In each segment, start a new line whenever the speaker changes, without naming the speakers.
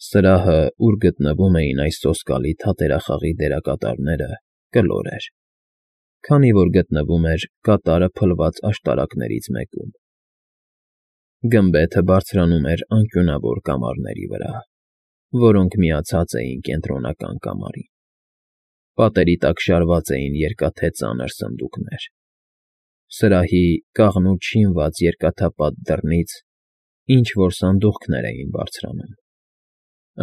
Սրահը, ուր գտնվում էին այս սոսկալի թատերախաղի դերակատարները, կլոր էր, քանի որ գտնվում էր կատարը փլված աշտարակներից մեկում։ Գմբեթը բարձրանում էր անկյունավոր կամարների վրա, որոնք միացած էին կենտրոնական կամարին։ Պատերի տակ շարված էին երկաթե ծանր սնդուկներ։ Սրահի կաղնու չինված երկաթապատ դռնից ինչ֊որ սանդուղքներ էին բարձրանում։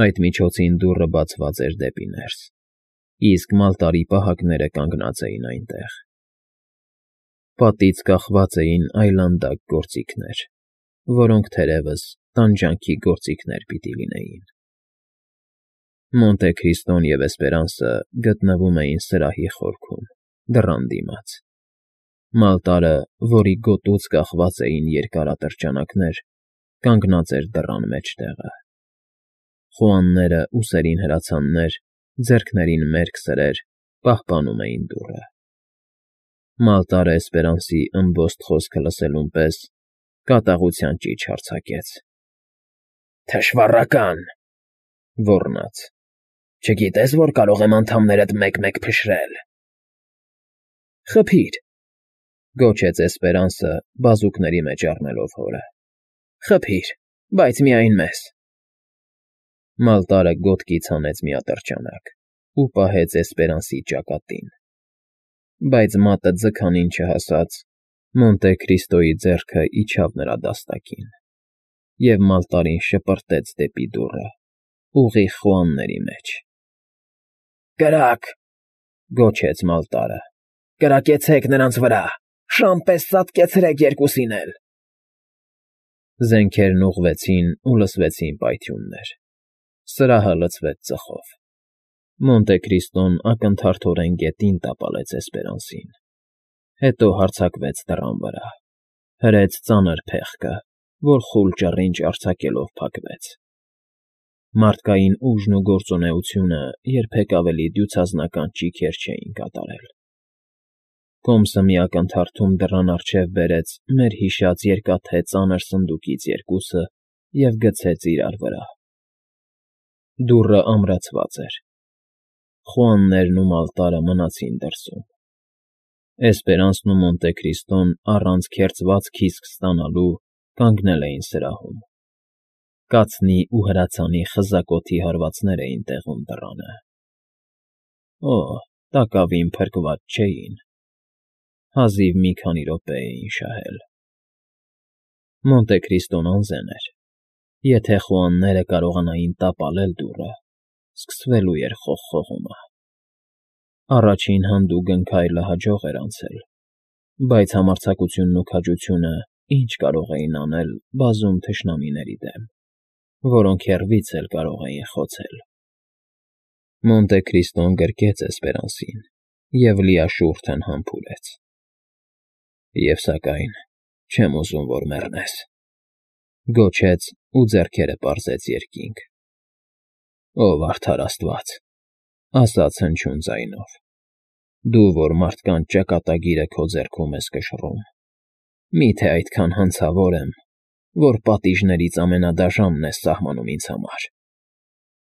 Այդ միջոցին դուռը բացված էր դեպի ներս, իսկ մալտարի պահակները կանգնած էին այնտեղ։ Պատից կախված էին այլանդակ գործիքներ, որոնք թերևս տանջանքի գործիքներ պիտի լինեին։ Մոնտե Քրիստոն և Էսպերանսը գտնվում էին սրահի խորքում, դռան դիմաց։ Մալտարը, որի գոտուց կախված էին երկար ատրճանակներ, կանգնած էր դռան մեջտեղը։ Խոհանները, ուսերին հրացաններ, ձեռքներին մերկ սրեր պահպանում էին դուռը։ Մալտարը Էսպերանսի ըմբոստ խոսքը լսելուն պես կատաղության ճիչ արձակեց։ ֊ Թշվառակա՛ն,֊ ոռնաց,֊ չգիտե՞ս, որ կարող եմ անդամներդ մեկ֊մեկ փշրել։ ֊ Խփի՛ր,֊ գոչեց Էսպերանսը, բազուկների մեջ առնելով հորը։֊ Խփի՛ր, բայց միայն մեզ։ Մալտարը գոտկից հանեց մի ատրճանակ ու պահեց Էսպերանսի ճակատին, բայց մատը ձգանին չհասած, Մոնտե Քրիստոյի ձեռքը իջավ նրա դաստակին, և Մալտարին շպրտեց դեպի դուռը, ուղիղ խոհանների մեջ։ ֊ Կրա՛կ,֊ գոչեց Մալտարը,֊ կրակեցեք նրանց վրա, շան պես ծածկեցրեք երկուսին էլ։ Զենքերն ուղղվեցին ու լսվեցին պայթյուններ։ Սրահը լցվեց ծխով։ Մոնտե Քրիստոն ակնթարթորեն գետին տապալեց Էսպերանսին, հետո հարձակվեց դռան վրա, հրեց ծանր փեղկը, որ խուլ ճռինչ արձակելով փակվեց։ Մարդկային ուժն ու գործունեությունը երբեք ավելի դյուցազնական ճիգեր չէին կատարել։ Կոմսը մի ակնթարթում դռան առջև բերեց մեր հիշած երկաթե ծանր սնդուկից երկուսը և գցեց իրար վրա։ Դուռը ամրացված էր։ Խոհաններն ու Մալտարը մնացին դրսում։ Էսպերանսն ու Մոնտե Քրիստոն առանց քերծված քիսկ ստանալու կանգնել էին սրահում։ Կացնի ու հրացանի խզակոթի հարվածներ էին տեղում դռանը։ Օ՜, տակավին փրկված չէին։ Հազիվ մի քանի րոպե էին շահել։ Մոնտե Քրիստոն անզեն էր։ Եթե խոհանները կարողանային տապալել դուռը, սկսվելու էր խողխողումը։ Առաջին հանդուգն քայլը հաջող էր անցել, բայց համարձակությունն ու քաջությունը ինչ կարող էին անել բազում թշնամիների դեմ, որոնք հեռվից էլ կարող էին խոցել։ Մոնտե Քրիստոն գրկեց Էսպերանսին և լիաշուրթն համբուրեց։ ֊ Եվ սակայն չեմ ուզում, որ մեռնես,֊ գոչեց ու ձեռքերը պարզեց երկինք։ ֊ Ով արդար աստված,֊ ասաց հնչյուն ձայնով,֊ դու, որ մարդկանց ճակատագիրը քո ձեռքում ես կշռում, մի՞թե այդքան հանցավոր եմ, որ պատիժներից ամենադաժանն ես սահմանում ինձ համար։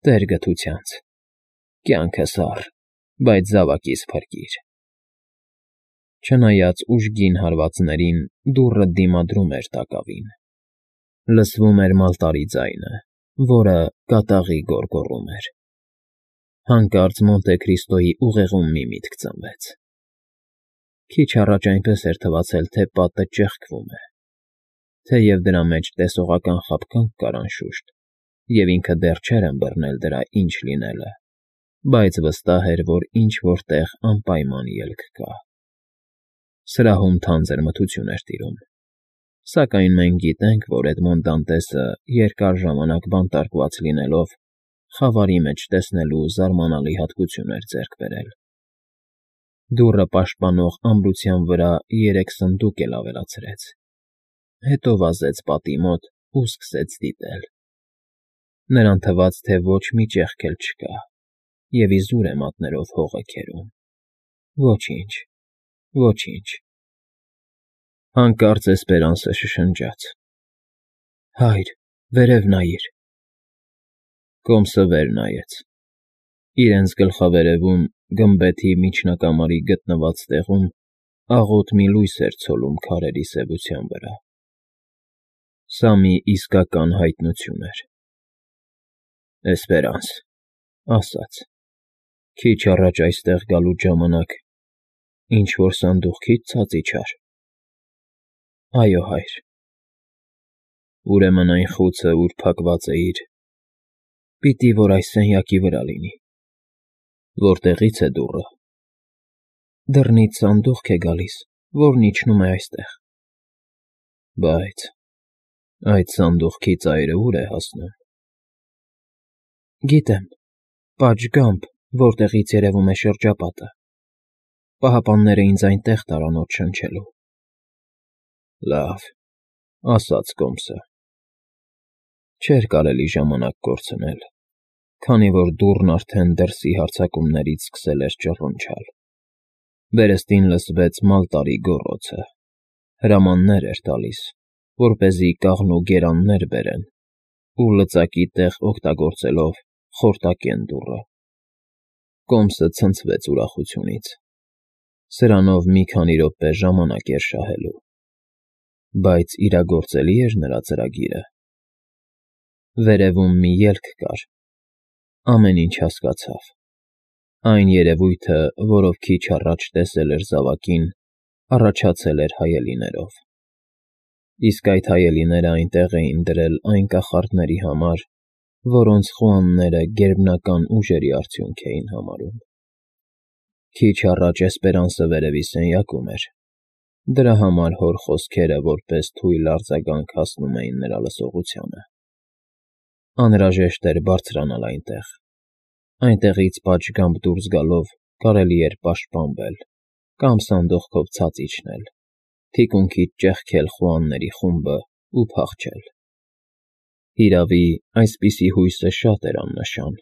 Տեր գթությանց, կյանքս առ, բայց զավակիս փրկիր։ Չնայած ուժգին հարվածներին, դուռը դիմադրում էր տակավին։ Լսվում էր Մալտարի ձայնը, որը կատաղի գոռգոռում էր։ Հանկարծ Մոնտե Քրիստոյի ուղեղում մի միտք ծնվեց։ Քիչ առաջ այնպես էր թվացել, թե պատը ճեղքվում է, թեև դրա մեջ տեսողական խաբկանք կար անշուշտ, և ինքը դեռ չէր ըմբռնել դրա ինչ լինելը, բայց վստահ էր, որ ինչ֊որ տեղ անպայման ելք կա։ Սրահում թանձր մթություն էր տիրում, սակայն մենք գիտենք, որ Էդմոն Դանտեսը երկար ժամանակ բանտարկված լինելով, խավարի մեջ տեսնելու զարմանալի հատկություն էր ձեռք բերել։ Դուռը պաշտպանող ամրության վրա 3 սնդուկ էլ ավելացրեց, հետո վազեց պատի մոտ ու սկսեց դիտել։ Նրան թվաց, թե ոչ մի ճեղք էլ չկա, և իզուր է մատներով հողը քերում։ Ոչինչ, ոչինչ։ Հանկարծ Էսպերանսը շշնջաց. ֊ Հայր, վերև նայիր։ Կոմսը վեր նայեց։ Իրենց գլխավերևում, գմբեթի միջնակամարի գտնված տեղում, աղոտ մի լույս էր ցոլում քարերի սևության վրա։ Սա մի իսկական հայտնություն էր։ «Էսպերանս», ասաց, քիչ առաջ այստեղ գալուց ժամանակ ինչ-որ սանդուղքից ցած իջա՞ր։ «Այո, հայր»։ «Ուրեմն այն խուցը, ուր փակված էիր, պիտի որ այս սենյակի վրա լինի։ Որտեղի՞ց է դուռը»։ «Դռնից սանդուղք է գալիս, որն իջնում է այստեղ»։ «Բայց այդ սանդուղքի ծայրը ուր է հասնում»։ «Գիտեմ, պատշգամբ, որտեղից երևում է շրջապատը։ Պահապանները ինձ այնտեղ տարան օդ շնչելու»։ «Լավ», ասաց Կոմսը։ Չէր կարելի ժամանակ կորցնել, քանի որ դուռն արդեն դրսի հարձակումներից սկսել էր ճռռնչալ։ Վերստին լսվեց մալտարի գոռոցը։ Հրամաններ էր տալիս, որպեսզի կաղնու գերաններ բերեն ու լծակի տեղ օգտագործելով խորտակեն դուռը։ Կոմսը ցնցվեց ուրախությունից։ Սրանով մի քանի րոպե ժամանակ էր շահելու։ Բայց իրագործելի էր նրա ծրագիրը։ Վերևում մի ելք կար։ Ամեն ինչ հասկացավ։ Այն երևույթը, որով քիչ առաջ տեսել էր զավակին, առաջացել էր հայելիներով։ Իսկ այդ հայելիները այնտեղ էին դրել այն կախարդների համար, որոնց խուանները գերբնական ուժերի արդյունք էին համարում։ Քիչ առաջ Էսպերանսը վերևի սենյակում էր։ Դրա համար հոր խոսքերը որպես թույլ արձագանք հասնում էին նրա լսողությանը։ Անհրաժեշտ էր բարձրանալ այնտեղ։ Այնտեղից պատշգամբ դուրս գալով կարելի էր պաշտպանվել կամ սանդուղքով ցած իջնել, թիկունքից ճեղքել խուանների խումբը ու փախչել։ Հիրավի, այսպիսի հույսը շատ էր աննշան,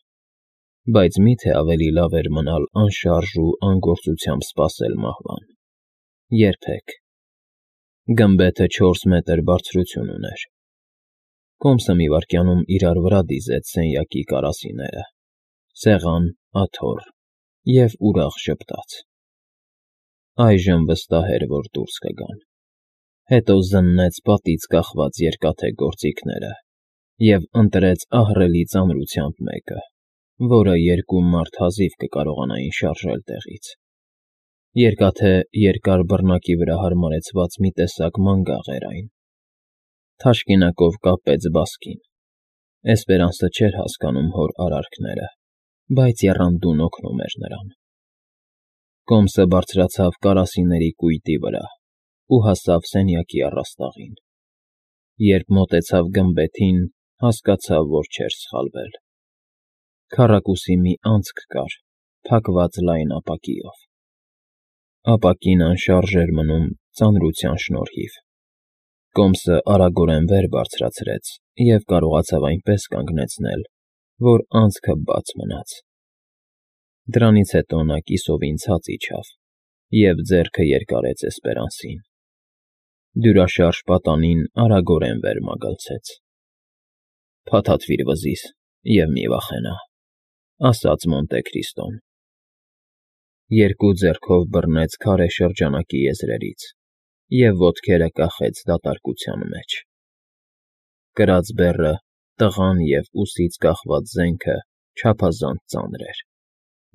բայց մի՞թե ավելի լավ էր մնալ անշարժ ու անգործությամբ սպասել մահվան։ Երբեք։ Գմբեթը 4 մետր բարձրություն ուներ։ Կոմսը մի վայրկյանում իրար վրա դիզեց սենյակի կարասիները՝ սեղան, աթոռ և ուրախ ժպտաց։ Այժմ վստահ էր, որ դուրս կգան։ Հետո զննեց պատից կախված երկաթե գործիքները և ընտրեց ահռելի ծանրությամբ մեկը, որը երկու մարդ հազիվ կկարողանային շարժել տեղից։ Երկաթե երկար բռնակի վրա հարմարեցված մի տեսակ մանգաղ էր այն։ Թաշկինակով կապեց բասկին։ Էսպերանսը չէր հասկանում հոր արարքները, բայց եռանդուն օգնում էր նրան։ Կոմսը բարձրացավ կարասիների կույտի վրա ու հասավ սենյակի առաստաղին։ Երբ մոտեցավ գմբեթին, հասկացավ, որ չէր սխալվել։ Քառակուսի մի անցք կար, փակված լայն ապակիով։ Ապակին անշարժ էր մնում ծանրության շնորհիվ։ Կոմսը արագորեն վեր բարձրացրեց և կարողացավ այնպես կանգնեցնել, որ անցքը բաց մնաց։ Դրանից հետո նա կիսովին ցած իջավ և ձեռքը երկարեց Էսպերանսին։ Դյուրաշարժ պատանին արագորեն վեր մագլցեց։ «Փաթաթվիր վզիս և մի վախենա», ասաց Մոնտե Քրիստոն։ Երկու ձեռքով բռնեց քարե շրջանակի եզրերից և ոտքերը կախեց դատարկության մեջ։ Կրած բեռը, տղան և ուսից կախված զենքը չափազանց ծանր էր,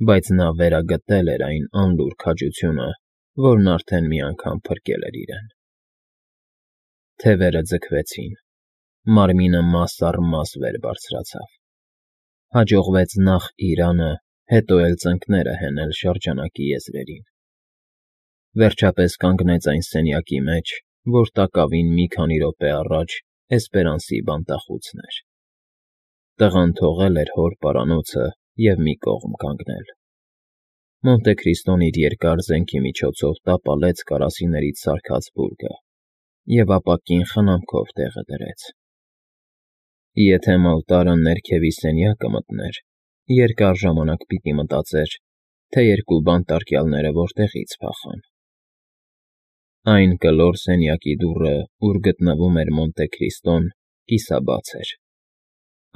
բայց նա վերագտել էր այն անլուռ քաջությունը, որն արդեն մի անգամ փրկել էր իրեն։ Թևերը ձգվեցին, մարմինը մաս առ մաս վեր բարձրացավ։ Հաջողվեց նախ իրանը, հետո էլ ծնկները հենել շրջանակի եզրերին։ Վերջապես կանգնեց այն սենյակի մեջ, որ տակավին մի քանի րոպե առաջ Էսպերանսի բանտախուցն էր։ Տղան թողել էր հոր պարանոցը և մի կողմ կանգնել։ Մոնտե Քրիստոն իր երկար զենքի միջոցով տապալեց կարասիներից սարքած բուրգը և ապակին խնամքով տեղը դրեց։ Եթե մալտարը ներքևի սենյակը մտներ, երկար ժամանակ պիտի մտածեր, թե երկու բանտարկյալները որտեղից փախան։ Այն կլոր սենյակի դուռը, ուր գտնվում էր Մոնտե Քրիստոն, կիսաբաց էր։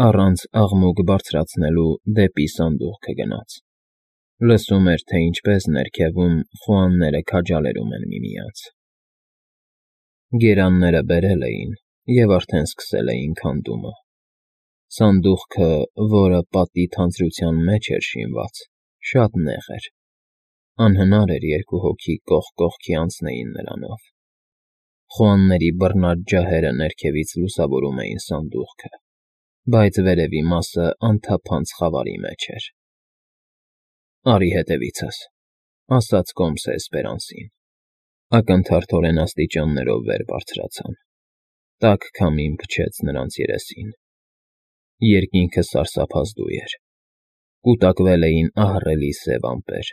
առանց աղմուկ բարձրացնելու դեպի սանդուղքը գնաց, լսում էր, թե ինչպես ներքևում խոհանները քաջալերում են միմյանց։ Գերանները բերել էին և արդեն սկսել էին քանդումը։ Սանդուղքը, որը պատի թանձրության մեջ էր շինված, շատ նեղ էր, անհնար էր երկու հոգի կողք կողքի անցնեին նրանով։ Խոհանների բռնած ջահերը ներքևից լուսավորում էին սանդուղքը, բայց վերևի մասը անթափանց խավարի մեջ էր։ «Արի հետևիցս», ասաց Կոմսը Էսպերանսին։ Ակնթարթորեն աստիճաններով վեր բարձրացան։ Տաք քամին փչեց նրանց երեսին։ Երկինքը սարսափազդու էր։ Կուտակվել էին ահռելի սև ամպեր,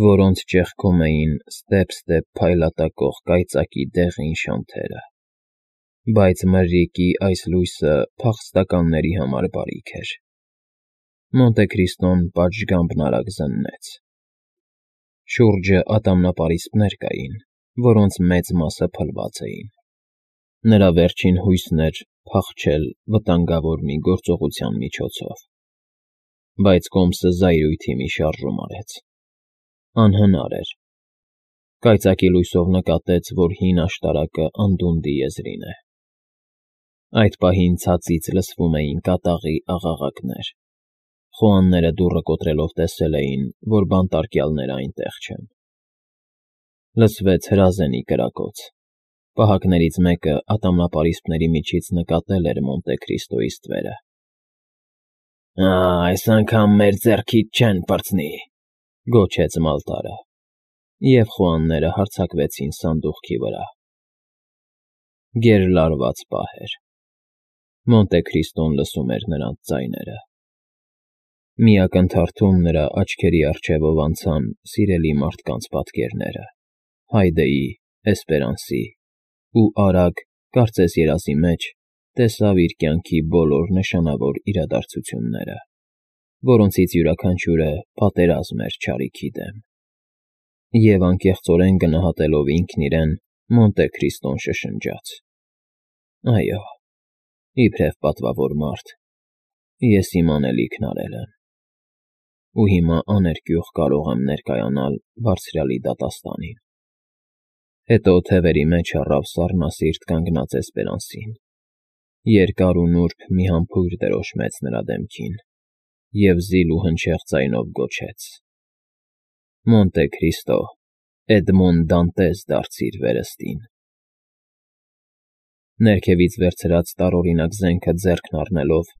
որոնց ճեղքում էին ստեպ-ստեպ փայլատակող կայծակի դեղին շանթերը։ Բայց մրրիկի այս լույսը փախստականների համար բարիք էր։ Մոնտե Քրիստոն պատշգամբն արագ զննեց։ Շուրջը ատամնապարիսպներ կային, որոնց մեծ մասը փլված էին։ Նրա վերջին հույսն էր փախչել վտանգավոր մի գործողության միջոցով։ Բայց Կոմսը զայրույթի մի շարժում արեց։ Անհնար էր։ Կայծակի լույսով նկատեց, որ հին աշտարակը անդունդի եզրին է։ Այդ պահին ցածից լսվում էին կատաղի աղաղակներ։ Խոհանները դուռը կոտրելով տեսել էին, որ բանտարկյալները այնտեղ չեն։ Լսվեց հրազենի կրակոց։ Պահակներից մեկը ատամնապարիսպների միջից նկատել էր Մոնտե Քրիստոյի ստվերը։ Այս անգամ մեր ձեռքից չեն պրծնի, գոչեց Մալտարը, և խոհանները հարձակվեցին սանդուղքի վրա։ Գերլարված պահ էր։ Մոնտե Քրիստոն լսում էր նրանց ձայները։ Մի ակնթարթում նրա աչքերի առջևով անցան սիրելի մարդկանց պատկերները՝ Հայդեի, Էսպերանսի, ու արագ, կարծես երազի մեջ, տեսավ իր կյանքի բոլոր նշանավոր իրադարձությունները, որոնցից յուրաքանչյուրը պատերազմ էր չարիքի դեմ։ Եվ անկեղծորեն գնահատելով ինքն իրեն, Մոնտե Քրիստոն շշնջաց. «Այո, իբրև պատվավոր մարդ, ես իմ անելիքն արել եմ, ու հիմա աներկյուղ կարող եմ ներկայանալ Բարձրյալի դատաստանին»։ Հետո թևերի մեջ առավ սառնասիրտ կանգնած Էսպերանսին, երկար ու նուրբ մի համբույր դրոշմեց նրա դեմքին և զիլ ու հնչեղ ձայնով գոչեց. «Մոնտե Քրիստո, Էդմոն Դանտես դարձիր վերստին»։ Ներքևից վերցրած տարօրինակ զենքը ձեռքն առնելով,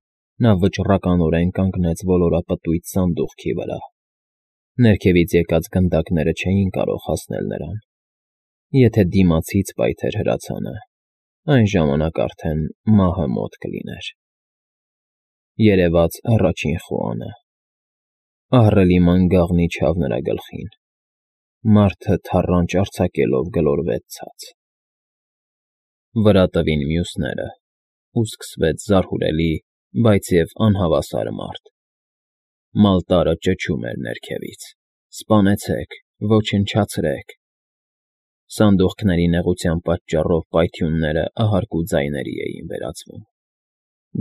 նա վճռականորեն կանգնեց ոլորապտույտ սանդուղքի վրա։ Ներքևից եկած գնդակները չէին կարող հասնել նրան։ Եթե դիմացից պայթեր հրացանը, այն ժամանակ արդեն մահը մոտ կլիներ։ Երևաց առաջին խոհանը։ Ահռելի մանգաղն իջավ նրա գլխին։ Մարդը թառանչ արձակելով գլորվեց ցած։ Վրա տվին մյուսները, ու սկսվեց զարհուրելի, բայց և անհավասար մարդ։ Մալտարը ճչում էր ներքևից. «Սպանեցեք, ոչնչացրեք»։ Սանդուղքների նեղության պատճառով պայթյունները ահարկու ձայների էին վերածվում։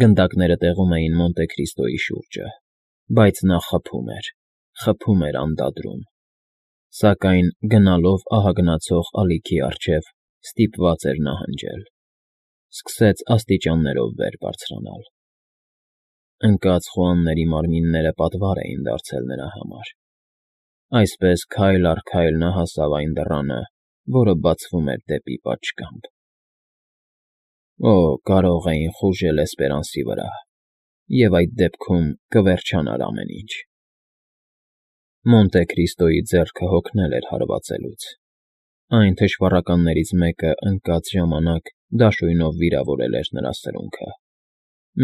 Գնդակները տեղում էին Մոնտե Քրիստոյի շուրջը, բայց նա խփում էր անդադրում։ Սակայն գնալով ահագնացող ալիքի առջև ստիպված էր նահանջել։ Սկսեց աստիճաններով վեր բարձրանալ։ Ընկած խոհանների մարմինները պատվար էին դարձել նրա համար։ Այսպես քայլ առ քայլ նա հասավ այն դռանը, որը բացվում էր դեպի պատշգամբ։ Օ, կարող էին խուժել Էսպերանսի վրա, և այդ դեպքում կվերջանար ամեն ինչ։ Մոնտե Քրիստոյի ձեռքը հոգնել էր հարվածելուց։ Այն թշվառականներից մեկը ընկած ժամանակ դաշույնով վիրավորել էր նրա սրունքը։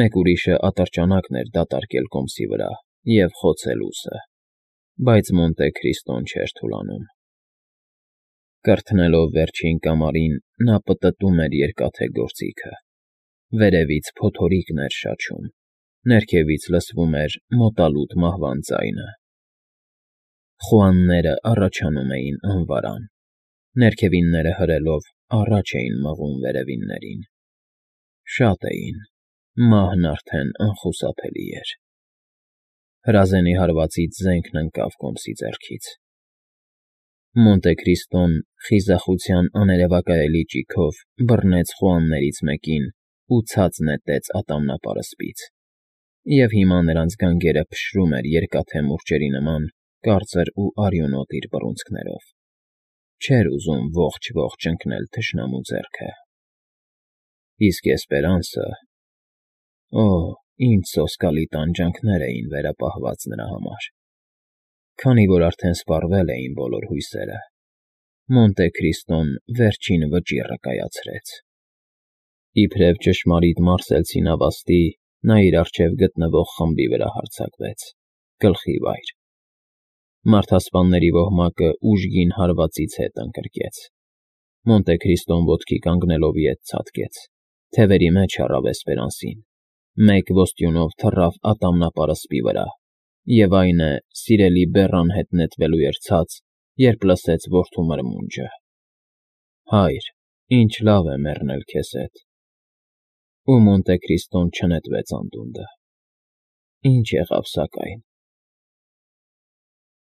Մեկ ուրիշը ատրճանակն էր դատարկել Կոմսի վրա և խոցել ուսը, բայց Մոնտե Քրիստոն չէր թուլանում։ Կրթնելով վերջին կամարին, նա պտտում էր երկաթե գործիքը։ Վերևից փոթորիկն էր շաչում, ներքևից լսվում էր մոտալուտ մահվան ձայնը։ Խոհանները առաջանում էին անվարան։ Ներքևինները հրելով առաջ էին մղում վերևիններին։ Շատ էին, Մահն արդեն անխուսափելի էր։ Հրազենի հարվածից զենքն ընկավ կոմսի ձեռքից։ Մոնտե Քրիստոն խիզախության աներևակայելի ճիգով բռնեց խոհաններից մեկին ու ցած նետեց ատամնապարսպից, և հիմա նրանց գանգերը փշրում էր երկաթե մուրճերի նման կարծր ու արյունոտ իր բռունցքներով։ Չէր ուզում ողջ ընկնել թշնամու ձեռքը։ Իսկ էսպերանսը… Օ՜, ինչ սոսկալի տանջանքներ էին վերապահված նրա համար։ Քանի որ արդեն սպառվել էին բոլոր հույսերը, Մոնտե Քրիստոն վերջին վճիռը կայացրեց։ Իբրև ճշմարիտ մարսելցի նավաստի, նա իր առջև գտնվող խմբի վրա հարձակվեց, գլխի վայր։ Մարդասպանների ոհմակը ուժգին հարվածից հետ ընկրկեց։ Մոնտե Քրիստոն ոտքի կանգնելով ետ ցատկեց, թևերի մեջ առավ էսպերանսին, մեկ ոստյունով թռավ ատամնապարսպի վրա, և այն է, սիրելի բեռան հետ նետվելու էր ցած, երբ լսեց որդու մրմունջը. «Հայր, ինչ լավ է մեռնել քեզ հետ»։ Ու Մոնտե Քրիստոն չնետվեց անդունդը։ Ինչ եղավ սակայն։